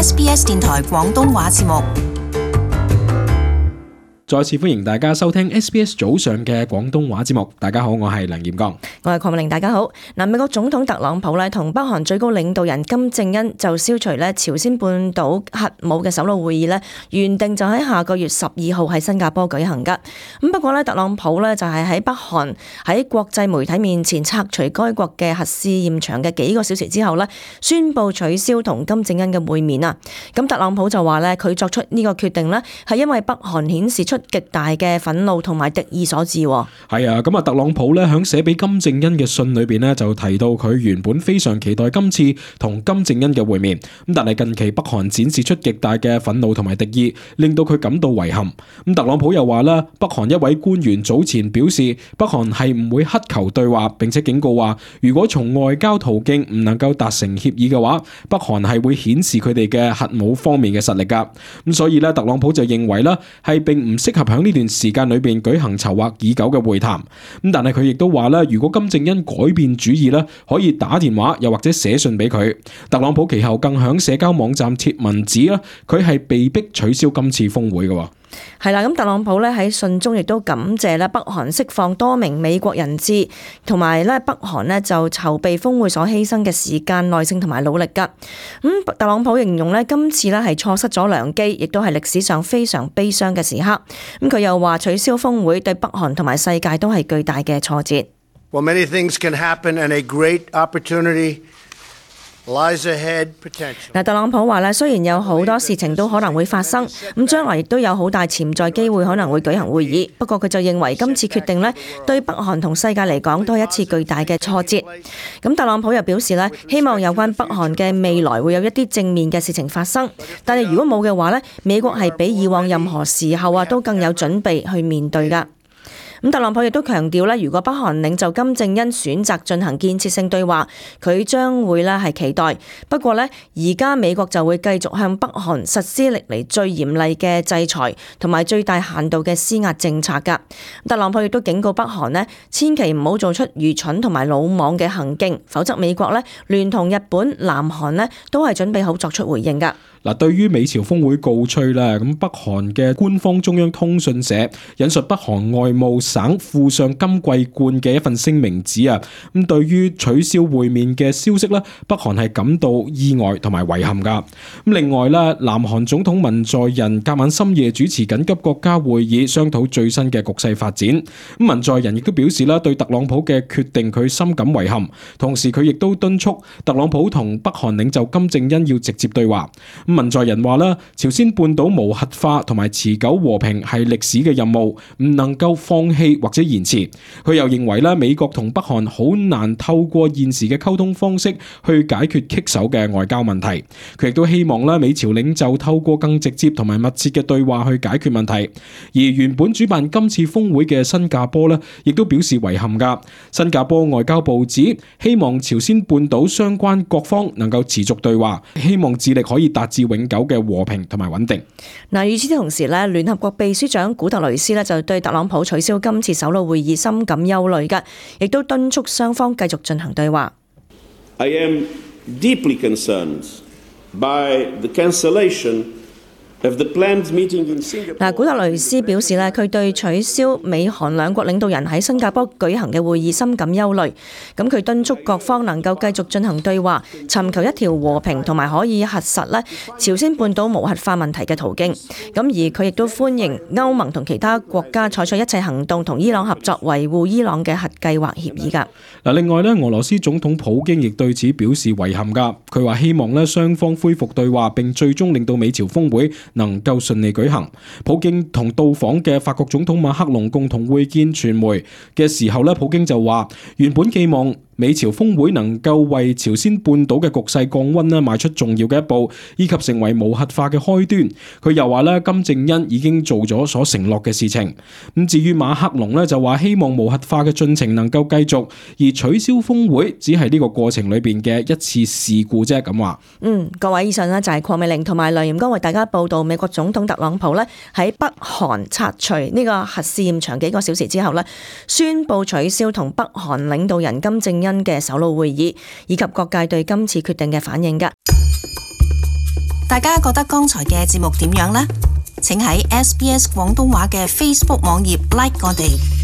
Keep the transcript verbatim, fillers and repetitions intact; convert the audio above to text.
S B S 電台廣東話節目。再次歡迎大家收聽 S B S 早上嘅廣東話節目。大家好，我係梁炎剛，我係鄺美玲。大家好。嗱，美國總統特朗普咧同北韓最高領導人金正恩就消除咧朝鮮半島核武嘅首腦會議咧，原定就喺下個月十二號喺新加坡舉行噶。咁不過咧，特朗普咧就係喺北韓喺國際媒體面前拆除該國嘅核試驗場嘅幾個小時之後咧，宣布取消同金正恩嘅會面啊。咁特朗普就話咧，佢作出呢個決定咧，係因為北韓顯示出極大嘅憤怒同埋敵意所致。係啊，咁啊，特朗普咧響寫俾金正恩嘅信裏邊咧，就提到佢原本非常期待今次同金正恩嘅會面，咁但係近期北韓展示出極大嘅憤怒同埋敵意，令到佢感到遺憾。咁特朗普又話啦，北韓一位官員早前表示，北韓係唔會乞求對話，並且警告話，如果從外交途徑唔能夠達成協議嘅話，北韓係會顯示佢哋嘅核武方面嘅實力噶。咁所以咧，特朗普就認為啦，係並唔適合響呢段時間裏邊舉行籌劃已久嘅會談。咁但係佢亦都話啦，如果金正恩改變主意咧，可以打電話又或者寫信俾佢。特朗普其後更響社交網站貼文指啦，佢係被逼取消今次峰會嘅。係啦，咁特朗普咧喺信中亦都感謝咧北韓釋放多名美國人質，同埋咧北韓咧就籌備峰會所犧牲嘅時間、耐性同埋努力噶。咁特朗普形容咧今次咧係錯失咗良機，亦都係歷史上非常悲傷嘅時刻。咁佢又話取消峰會對北韓同埋世界都係巨大嘅挫折。Well, many things can happen and a great opportunity lies ahead potentially. 嗱，特朗普話咧，雖然有好多事情都可能會發生，咁將來亦都有好大潛在機會可能會舉行會議。不過佢就認為今次決定咧，對北韓同世界嚟講都係一次巨大嘅挫折。咁特朗普又表示咧，希望有關北韓嘅未來會有一啲正面嘅事情發生。但係如果冇嘅話咧，美國係比以往任何時候啊都更有準備去面對㗎。咁特朗普亦都強調咧，如果北韓領袖金正恩選擇進行建設性對話，佢將會咧係期待。不過咧，而家美國就會繼續向北韓實施歷嚟最嚴厲嘅制裁同埋最大限度嘅施壓政策㗎。特朗普亦都警告北韓咧，千祈唔好做出愚蠢同埋魯莽嘅行徑，否則美國咧聯同日本、南韓咧都係準備好作出回應㗎。嗱，對於美朝峰會告吹啦，咁北韓嘅官方中央通訊社引述北韓外務省副相金桂冠嘅一份聲明指啊，咁對於取消會面嘅消息咧，北韓係感到意外同埋遺憾噶。咁另外咧，南韓總統文在寅隔晚深夜主持緊急國家會議，商討最新嘅局勢發展。咁文在寅亦都表示啦，對特朗普嘅決定佢深感遺憾，同時佢亦都敦促特朗普同北韓領袖金正恩要直接對話。文在寅話啦，朝鮮半島無核化同埋持久和平係歷史嘅任務，唔能夠放棄或者延遲。佢又認為咧，美國同北韓好難透過現時嘅溝通方式去解決棘手嘅外交問題。佢亦都希望咧，美朝領袖透過更直接同埋密切嘅對話去解決問題。而原本主辦今次峰會嘅新加坡咧，亦都表示遺憾噶。新加坡外交部指，希望朝鮮半島相關各方能夠持續對話，希望致力可以達至永久嘅和平同埋穩定。嗱，與此同時咧，聯合國秘書長古特雷斯咧就對特朗普取消今次首腦會議深感憂慮嘅，亦都敦促雙方繼續進行對話。I am deeply concerned by the cancellation嗱，古特雷斯表示咧，佢對取消美韓兩國領導人喺新加坡舉行嘅會議深感憂慮。咁佢敦促各方能夠繼續進行對話，尋求一條和平同埋可以核實咧朝鮮半島無核化問題嘅途徑。咁而佢亦都歡迎歐盟同其他國家採取一切行動，同伊朗合作維護伊朗嘅核計劃協議㗎。嗱，另外咧，俄羅斯總統普京亦對此表示遺憾㗎。佢話希望咧雙方恢復對話，並最終令到美朝峰會能夠順利舉行。普京同到訪嘅法國總統馬克龍共同會見傳媒嘅時候咧，普京就話原本寄望美朝峰會能夠為朝鮮半島嘅局勢降溫咧邁出重要嘅一步，以及成為無核化嘅開端。佢又話咧，金正恩已經做咗所承諾嘅事情。咁至於馬克龍咧就話希望無核化嘅進程能夠繼續，而取消峰會只係呢個過程裏邊嘅一次事故啫。咁話，嗯，各位以上呢就係鄺美玲同埋梁炎剛為大家報道美國總統特朗普咧喺北韓拆除呢個核試驗場幾個小時之後咧，宣布取消同北韓領導人金正恩嘅首腦會議，以及各界對今次決定嘅反應㗎。大家覺得剛才嘅節目點樣呢？請喺 S B S 廣東話嘅 Facebook 網頁 like 我哋。